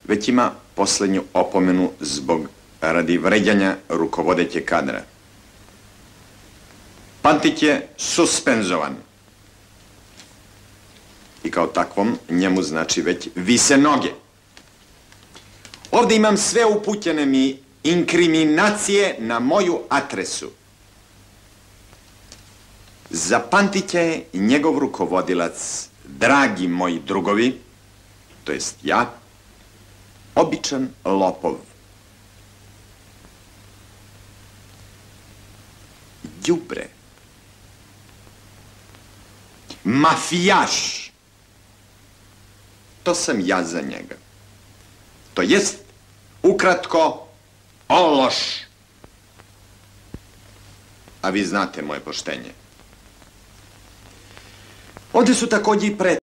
već ima poslednju opomenu radi vređanja rukovodećeg kadra. Pantić je suspenzovan. I kao takvom njemu znači već vise noge. Ovde imam sve upućene mi inkriminacije na moju adresu. Za Pantića je njegov rukovodilac, dragi moji drugovi, to jest ja, običan lopov. Đubre. Mafijaš. To sam ja za njega. To jest, ukratko, ološ. A vi znate moje poštenje. Ovde su takođe i